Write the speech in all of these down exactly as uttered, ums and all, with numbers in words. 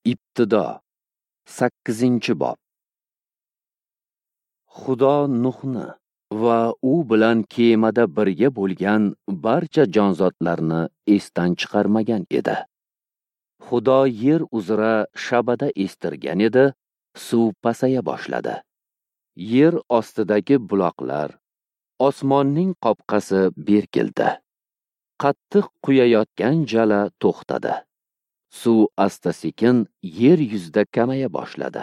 Ibtido, sakkizinchi bob. Xudo Nuhni va u bilan kemada birga bo'lgan barcha jonzotlarni esdan chiqarmagan edi. Xudo yer uzra shabada estirgan edi, suv pasaya boshladi. Yer ostidagi buloqlar, osmonning qopqasi berkildi. Qattiq quyayotgan jala to'xtadi. Suv asta-sekin yer yuzida kamaya boshladi.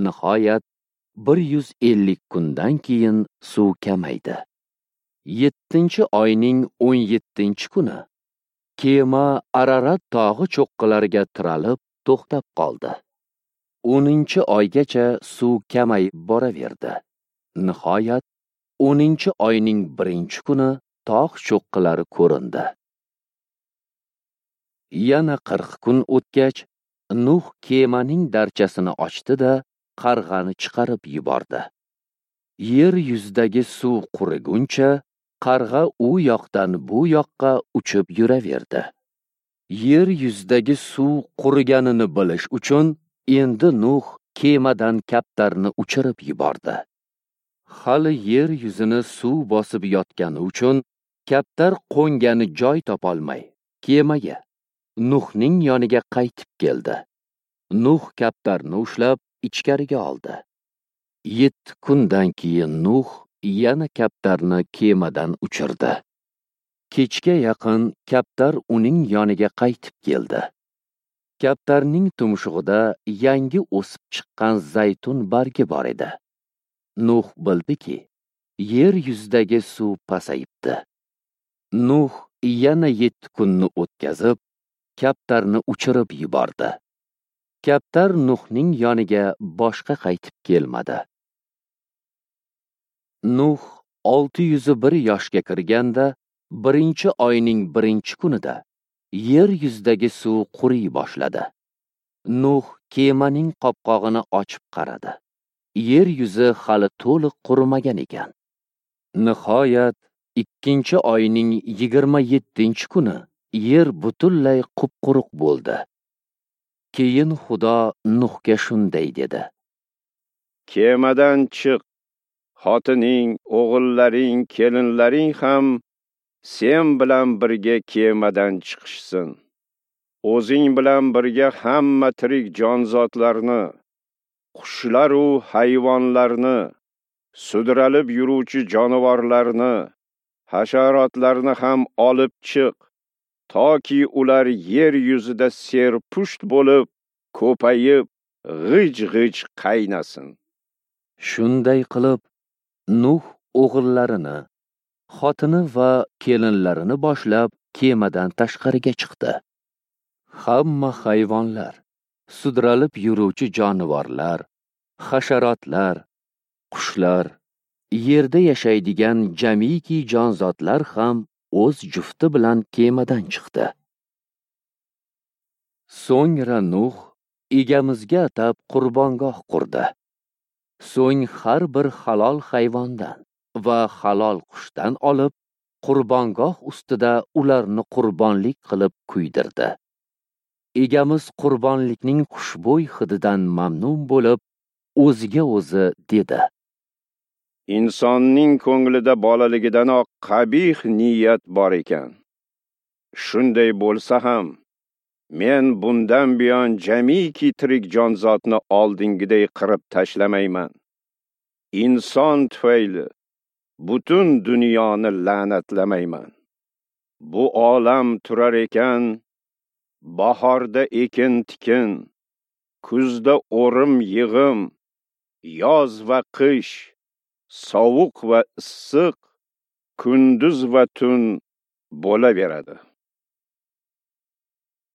Nihoyat bir yuz ellik kundan keyin suv kamaydi. Yettinchi oyning o'n yettinchi kuni kema Ararat tog'i cho'qqilariga tiralib to'xtab qoldi. O'ninchi oygacha suv kamayib boraverdi. Nihoyat o'ninchi oyning birinchi kuni tog' cho'qqilari ko'rindi. Yana qirq kun o'tgach, Nuh kemaning darchasini ochdi-da, qarg'ani chiqarib yubordi. Yer yuzidagi suv quriguncha, qarg'a u yoqdan bu yoqqa uchib yuraverdi. Yer yuzidagi suv quriganini bilish uchun endi Nuh kemadan kaptarni uchirib yubordi. Hali yer yuzini suv bosib yotgani uchun kaptar qo'ngani joy topolmay kemaga, Nuhning yoniga qaytib keldi. Nuh kaptarni ushlab ichkariga oldi. Yetti kundan keyin Nuh yana kaptarni kemadan uchirdi. Kechga yaqin kaptar uning yoniga qaytib keldi. Kaptarning tumshug'ida yangi o'sib chiqqan zaytun bargi bor edi. Nuh bildiki, yer yuzidagi suv pasayibdi. Nuh yana yetti kunni o'tkazib, kaptarni uchirib yubordi. Kaptar Nuhning yoniga boshqa qaytib kelmadi. Nuh olti yuz bir yoshga kirganda, birinchi oyning birinchi kunida yer yuzidagi suv quriy boshladi. Nuh kemaning qopqog'ini ochib qaradi. Yer yuzi hali to'liq qurimagan ekan. Nihoyat ikkinchi oyning yigirma yettinchi kuni yer butunlay qup-quruq bo'ldi. Keyin Xudo Nuhga shunday dedi: Kemadan chiq, xotining, o'g'illaring, kelinlaring ham sen bilan birga kemadan chiqishsin. O'zing bilan birga hamma tirik jonzotlarni, qushlar u hayvonlarni, sudralib yuruvchi jonivorlarni, hasharotlarni ham olib chiq, toki ular yer yuzida serpusht bo'lib, ko'payib, g'ij-g'ij qaynasin. Shunday qilib, Nuh o'g'illarini, xotini va kelinlarini boshlab kemadan tashqariga chiqdi. Hamma hayvonlar, sudralib yuruvchi jonivorlar, hasharotlar, qushlar, yerda yashaydigan jamiki jonzotlar ham o'z jufti bilan kemadan chiqdi. So'ngra Nuh egamizga atab qurbongoh qurdi. So'ng har bir halol hayvondan va halol qushdan olib, qurbongoh ustida ularni qurbonlik qilib kuydirdi. Egamiz qurbonlikning xushbo'y hididan mamnun bo'lib, o'ziga o'zi dedi: Insonning ko'nglida bolaligidanoq qabih niyat bor ekan. Shunday bo'lsa ham, men bundan buyon jamiki tirik jonzotni oldingiday qirib tashlamayman. Inson tufayli butun dunyoni la'natlamayman. Bu olam turar ekan, bahorda ekin-tikin, kuzda o'rim yig'im, yoz va qish, sovuq va issiq, kunduz va tun bo'laveradi.